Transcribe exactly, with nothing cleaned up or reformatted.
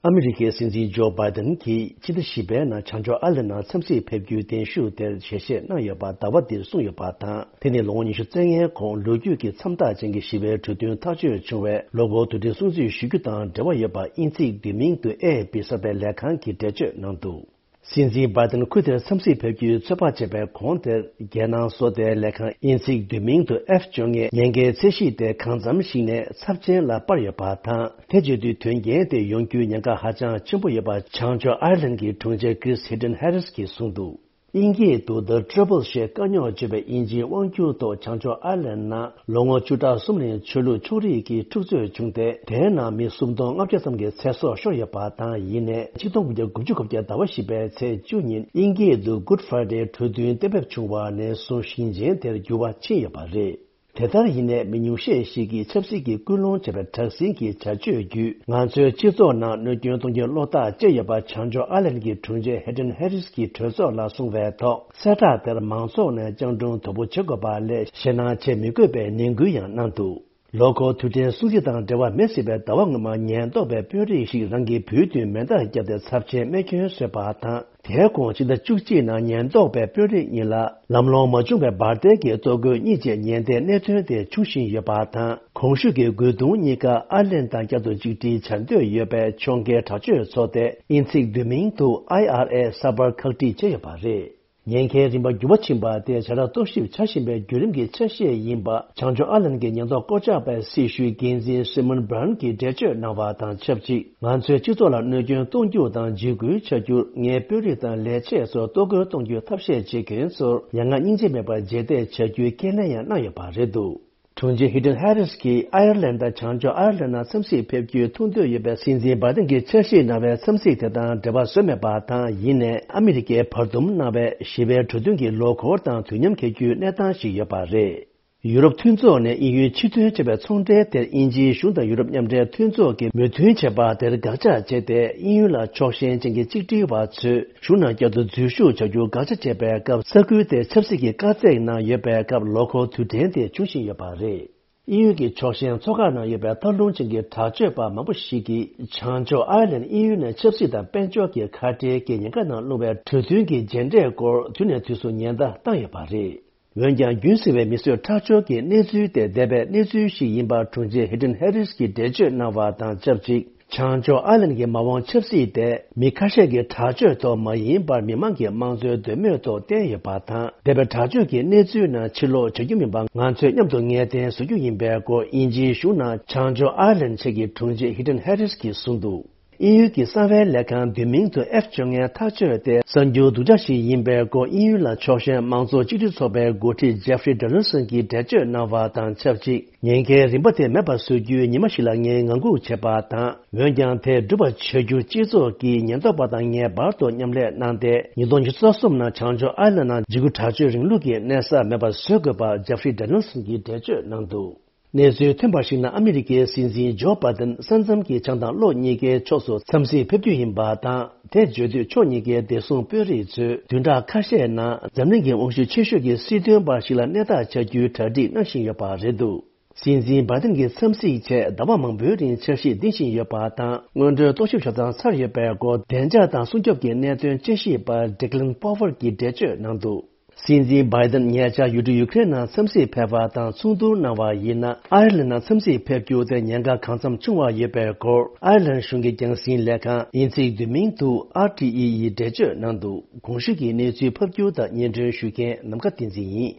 ཨ་མི་རི་ཀའི་སྲིད་འཛིན་ཇོ་བྷའི་ཏན་གྱིས་ཕྱི་ཟླ་བཞི་པའི་ནང་བྱང་ཕྱོགས་ཨར་ལན་ནང་འཚམས་གཟིགས་ཕེབས་རྒྱུའི་གདན་ཞུ་དེར་ཞལ་བཞེས་གནང་ཡོད་པ་ཟླ་བ་འདིར་གསུངས་ཡོད་པ་དང་། དེ་ནི་ལོ་ངོ་ཉི་ཤུ་རྩ་ལྔའི་གོང་ལོ་རྒྱུས་ཀྱི་མཚམས་རྟགས་ཅན་གྱི་ཞི་བའི་གྲོས་མཐུན་ཐག་གཅོད་བྱུང་བའི་ལོ་འཁོར་དུས་དྲན་སྲུང་བརྩི་ཞུ་རྒྱུ་དང་འབྲེལ་བ་ཡོད་པ་དབྱིན་ཚིག་བསྡུས་མིང་དུ་ཨེ་ཨེཕ་པི་གསར་པའི་ལས་ཁང་གིས་འགྲེལ་བརྗོད་གནང་འདུག། སྲིད་འཛིན་བྷའི་ཏན་ཁུལ་དེར་འཚམས་གཟིགས་ཕེབས་རྒྱུའི་ཚོད་དཔག་བྱས་པའི་གོང་དེར། རྒྱལ་ནང་བཟོ་ལྟའི་ལས་ཁང་དབྱིན་ཚིག་བསྡུས་མིང་དུ་ཨེཕ་བཅོ་ལྔའི་ཉེན་ཁའི་ཚད་གཞི་དེ་གང་འཚམ་ཞིག་ནས་ཚབས་ཆེན་ལ་སྤར་ཡོད་པ་དང་། དེ་བྱེད་དུས་དོན་རྐྱེན་དེ་ཡོང་རྒྱུའི་ཉེན་ཁ་ཧ་ཅང་ཆེན་པོ་ཡོད་པ་བྱང་ཕྱོགས་ཨར་ལན་གྱི་དྲུང་ཆེ་ཀྲིས་ཧི་ཏན་ཧེ་རིས་ཀྱིས་གསུངས་འདུག། དབྱིན་སྐད་དུ་The Trouble ཞེས་བཀའ་རྙོག་བརྗོད་པའི་དབྱིན་ཇིའི་དབང་སྒྱུར་ཐོག་བྱང་ཕྱོགས་ཨར་ལན་ནང་ལོ་ངོ་བཅུ་ཕྲག་གསུམ་རིང་ཆོས་ལུགས་ཕྱོགས་རིས་ཀྱི་འཁྲུག་རྩོད་བྱུང་སྟེ། དེའི་ནང་མི་སུམ་སྟོང་ལྔ་བརྒྱ་ཙམ་གྱི་ཚེ་སྲོག་ཤོར་ཡོད་པ་དང་། ཡིན་ནའི་ཆིག་སྟོང་དགུ་བརྒྱ་དགུ་བཅུ་གོ་བརྒྱད་ཟླ་བ་བཞི་པའི་ཚེས་བཅུ་ཉིན་དབྱིན་སྐད་དུ་Good Friday གྲོས་མཐུན་གཏན་འབེབས་བྱུང་བ་ནས་བཟུང་ཞིང་ཆེན་དེར་འགྱུར་བ་ཕྱིན་ཡོད་པ་རེད། དེ་ལྟར་ཡིན་ནའི་མི་ཉུང་ཤས་ཤིག་གིས་ཆབ་སྲིད་ཀྱི་སྐུལ་སློང་བྱས་པའི་དྲག་ཟིང་གི་བྱ་སྤྱོད་བརྒྱུད། ང་ཚོའི་སྤྱི་ཚོགས་ནང་གནོད་སྐྱོན་གཏོང་རྒྱུའི་བློ་ཐག་བཅད་ཡོད་པ་བྱང་ཕྱོགས་ཨར་ལན་གྱི་དྲུང་ཆེ་ཧི་ཏན་ཧེ་རིས་ཀྱིས་གྲོས་ཚོགས་ལ་གསུངས་པའི་ཐོག་གསལ་བསྒྲགས་དེར་མང་ཚོགས་ནས་སྤྱང་གྲུང་དོད་པོ་བྱེད་དགོས་པ་ལས་ཞེད་སྣང་བྱེད་མི་དགོས་པའི་ནན་སྐུལ་ཡང་གནང་འདུག། ལོ་འཁོར་དུས་དྲན་སྲུང་བརྩི་དང་འབྲེལ་བ་མེད་སྲིད་པའི་ཟླ་བ་སྔོན་མ་ཉེན་རྟོག་པའི་དཔོན་རིགས་ཤིག་རང་གི་བུའི་མདུན་མེ་མདའ་བརྒྱབ་སྟེ་ཚབས་ཆེན་རྨས་སྐྱོན་བཟོས་པ་དང་། དེའི་གོང་ཕྱི་ཟླ་བཅུ་གཅིག་ནང་ཉེན་རྟོག་པའི་དཔོན་རིགས་གཉིས་ལ་ལམ་ལྷོང་མ་བྱུང་བའི་འབར་མདེལ་གྱི་གཏོར་རྒོལ་གཉིས་བཅས་ཉེན་བརྡའི་གནད་དོན་དེ་འབྱུང་བཞིན་ཡོད་པ་དང་། གོང་ཞུས་ཀྱི་རྒོལ་རྡུང་གཉིས་ཀ་ཨར་ལན་དང་བསྐྱར་དུ་གཅིག་སྒྲིལ་བྱ་འདོད་ཡོད་པའི་ཕྱོགས་འགལ་དྲག་སྤྱོད་ཚོགས་སྡེ་དབྱིན་ཚིག་བསྡུས་མིང་དུ་ཨའི་ཨར་ཨེ་གསར་པར་ཁག་དཀྲིས་བྱས་ཡོད་པ་རེད། ཉེན་ཁའི་རིམ་པ་འགྱུར་བ་ཕྱིན་པ་དེ་བྱ་གྲགས་རྟོག་ཞིབ་བྱ་བཞིན་པའི་བརྒྱུད་རིམ་གྱི་ཆ་ཤས་ཡིན་པ་བྱང་ཕྱོགས་ཨར་ལན་གྱི་ཉེན་རྟོག་བསྐོ་བཞག་པའི་སྲི་ཞུའི་འགན་འཛིན་སི་མོན་བྷ་རན་གྱིས་འགྲེལ་བརྗོད་གནང་བ་དང་ཆབས་ཅིག། ང་ཚོའི་སྤྱི་ཚོགས་ལ་གནོད་སྐྱོན་གཏོང་རྒྱུ་དང་འཇིགས་སྐུལ་བྱ་རྒྱུར་ངའི་དཔོན་རིགས་དང་ལས་བྱེད་ཚོར་གཏོར་རྒོལ་གཏོང་རྒྱུའི་ཐབས་ཤེས་བྱེད་མཁན་ཚོར་མྱ་ངན་སྙིང་རྗེ་མེད་པར་རྗེས་འདེད་བྱ་རྒྱུའི་ཁས་ལེན་ཡང་གནང་ཡོད་པ་རེད་འདུག། དྲུང་ཆེ་ཧི་ཏན་ཧེ་རིས་ཀྱིས་ཨའི་ཡར་ལན་དང་བྱང་ཕྱོགས་ཨའི་ཡར་ལན་ནང་འཚམས་གཟིགས་ཕེབས་རྒྱུའི་ཐུགས་འདོད་ཡོད་པའི་སྲིད་འཛིན་བྷའི་ཏན་གྱིས་འཆར་གཞི་གནང་བའི་འཚམས་གཟིགས་དེ་དང་འབྲེལ་བ་བཟོས་མེད་པ་དང་། ཡིན་ནའི་ཨ་མི་རི་ཀས་བར་འདུམ་གནང་བའི་ཞི་བའི་གྲོས་མཐུན་གྱི་ལོ་འཁོར་དང་དུས་མཉམ་འཁེལ་རྒྱུའི་གནས་སྟངས་ཤིག་ཡོད་པ་རེད། ཡུ་རོབ་མཐུན་ཚོགས་ནས་དབྱིན་ཡུལ་ཕྱིར་ཐོན་བྱས་པའི་ཚོང་འབྲེལ་དེར་དབྱིན་ཇིའི་གཞུང་དང་ཡུ་རོབ་མཉམ་འབྲེལ་མཐུན་ཚོགས་ཀྱིས་མོས་མཐུན་བྱས་པ་དེར་དགག་བྱ་བྱས་ཏེ། དབྱིན་ཡུལ་ལ་ཕྱོགས་ཞེན་ཅན་གྱི་གཅིག་སྒྲིལ་བ་ཚོས་གཞུང་ནང་བསྐྱར་དུ་འཛུལ་ཞུགས་བྱ་རྒྱུར་དགག་བྱ་བྱས་པའི་སྐབས། ས་ཁུལ་དེར་ཆབ་སྲིད་ཀྱི་དཀའ་ཚེགས་ནང་ཡོད་པའི་སྐབས། ལོ་འཁོར་དུས་དྲན་དེ་འབྱུང་བཞིན་ཡོད་པ་རེད། དབྱིན་ཡུལ་གྱི་ཕྱོགས་ཞེན་ཚོགས་ཁག་ནང་ཡོད་པའི་ཐབས་ལམ་ཅན་གྱི་དྲག་སྤྱོད་པ་མང་པོ་ཞིག་གིས་བྱང་ཕྱོགས་ཨའི་ལན་དབྱིན་ཡུལ་ནས་ཆབ་སྲིད་དང་དཔལ་འབྱོར་གྱི་ཁ་བྲལ་གྱི་ཉེན་ཁ་ནང་ལྷུང་བའི་གྲོས་མཐུན་གྱི་མཇལ་འཕྲད་སྐོར་དུས་ནས་དུས་སུ་ཉེན་བརྡ་བཏང་ཡོད་པ་རེད། འོན་ཀྱང་རྒྱུན་སྲིང་བའི་མིས་བཟོས་ཁྲག་སྦྱོར་གྱི་གནས་ཚུལ་དེ་འདས་པའི་གནས་ཚུལ་ཞིག་ཡིན་པར་དྲུང་ཆེ་ཧི་ཏན་ཧེ་རིས་ཀྱིས་འགྲེལ་བརྗོད་གནང་བ་དང་ཆབས་ཅིག། བྱང་ཕྱོགས་ཨའི་ལན་གྱི་མ་འོངས་ཆབ་སྲིད་དེ་མི་ཁ་ཤས་ཀྱི་དྲག་སྤྱོད་ཐོག་མ་ཡིན་པར། མི་མང་གི་དམངས་གཙོའི་འདོད་མོས་ཐོག་བརྟེན་ཡོད་པ་དང་། འདས་པའི་དྲག་སྤྱོད་ཀྱི་གནས་ཚུལ་ནང་ཕྱིར་ལོག་བྱ་རྒྱུ་མིན་པ་ང་ཚོས་མཉམ་དུ་ངེས་གཏན་བཟོ་རྒྱུ་ཡིན་པའི་སྐོར། དབྱིན་ཇིའི་གཞུང་ནང་བྱང་ཕྱོགས་ཨའི་ལན་ཆེད་ཀྱི་དྲུང་ཆེ་ཧི་ཏན་ཧེ་རིས་ཀྱིས་གསུངས་འདུག། དབྱིན་ཡུལ་གྱི་གསང་བའི་ལས་ཁང་བསྡུས་མིང་དུ་ཨེཕ་བཅོ་ལྔའི་ཐག་གཅོད་དེ་གསར་འགྱུར་སྡུག་ཅག་ཞིག་ཡིན་པའི་སྐོར། དབྱིན་ཡུལ་ལ་ཕྱོགས་ཞེན་དམངས་གཙོ་གཅིག་སྒྲིལ་ཚོགས་པའི་འགོ་ཁྲིད་ཇེ་ཧྥི་རི་ཌོ་ནལ་སན་གྱིས་འགྲེལ་བརྗོད་གནང་བ་དང་ཆབས་ཅིག། ཉེན་ཁའི་རིམ་པ་དེ་མེད་པར་བཟོ་རྒྱུའི་ཉི་མ་ཞིག་ལ་ངས་ངང་སྒུག་བྱས་པ་དང་། འོན་ཀྱང་དེ་འགྲུབ་པར་བྱ་རྒྱུར་སྤྱི་ཚོགས་ཀྱིས་ཉེན་རྟོག་པ་དང་ངེས་པར་དུ་མཉམ་ལས་གནང་སྟེ། ཉིས་སྟོང་ཉི་ཤུ་རྩ་གསུམ་ནང་བྱང་ཕྱོགས་ཨའི་ལན་ནང་འཇིགས་སྐུལ་དྲག་སྤྱོད་རིང་ལུགས་ཀྱི་གནས་ས་མེད་པར་བཟོ་དགོས་པར་ཇེ་ཧྥི་རི་ཌོ་ནལ་སན་གྱིས་འགྲེལ་བརྗོད་གནང་འདུག། གནས་ཚུལ་ཐོན་པར་གཞིགས་ན། ཨ་མི་རི་ཀའི་སྲིད་འཛིན་ཇོ་བྷའི་ཏན་ས་མཚམས་ཀྱི་བྱང་དང་ལྷོ་གཉིས་ཀའི་ཕྱོགས་སུ་འཚམས་གཟིགས་ཕེབས་རྒྱུ་ཡིན་པ་དང་། དེ་བརྗོད་དུས་ཕྱོགས་གཉིས་ཀའི་བདེ་སྲུང་དཔོན་རིགས་ཚོས་བདུན་ཕྲག་ཁ་ཤས་ནང་འཛམ་གླིང་གི་དབང་ཤུགས་ཆེ་ཤོས་ཀྱི་སྲིད་དོན་པ་ཞིག་ལ་གནས་ཐག་ཆོད་རྒྱུའི་གྲ་སྒྲིག་གནང་བཞིན་ཡོད་པ་རེད་འདུག། སྲིད་འཛིན་བྷའི་ཏན་གྱི་འཚམས་གཟིགས་ཆེད་ཟླ་བ་མང་པོའི་རིང་འཆར་གཞི་འདིང་བཞིན་ཡོད་པ་དང་། སྔོན་འགྲོའི་རྟོག་ཞིབ་བྱ་སྟངས་ཚར་ཡོད་པའི་སྐོར། བདེ་འཇགས་དང་སྲུང་སྐྱོབ་ཀྱི་གནད་དོན་དཔྱད་ཞིབ་པ་ཌེག་ལན་པོ་ཝར་གྱིས་འགྲེལ་བརྗོད་གནང་འདུག། སྲིད་འཛིན་བྷའི་ཏན་ཉེ་ཆར་ཡུལ་གྲུ་ཡུ་ཀེ་རེན་ནང་འཚམས་གཟིགས་ཕེབས་པ་དང་མཚུངས་བསྡུར་གནང་བ་ཡིན་ན། ཨའི་ལན་ནང་འཚམས་གཟིགས་ཕེབས་རྒྱུ་དེ་ཉེན་ཁ་གང་འཚམ་ཆུང་བ་ཡོད་པའི་སྐོར། ཨའི་ལན་གཞུང་གི་རྒྱང་སྲིང་ལས་ཁང་དབྱིན་ཚིག་བསྡུས་མིང་དུ་ཨར་ཊི་ཨི་ཡིས་འགྲེལ་བརྗོད་གནང་འདུག། གོང་ཞུས་ཀྱི་གནས་ཚུལ་ཕབ་སྒྱུར་དང་སྙན་སྒྲོན་ཞུ་མཁན་ནམ་མཁའ་བསྟན་འཛིན་ཡིན།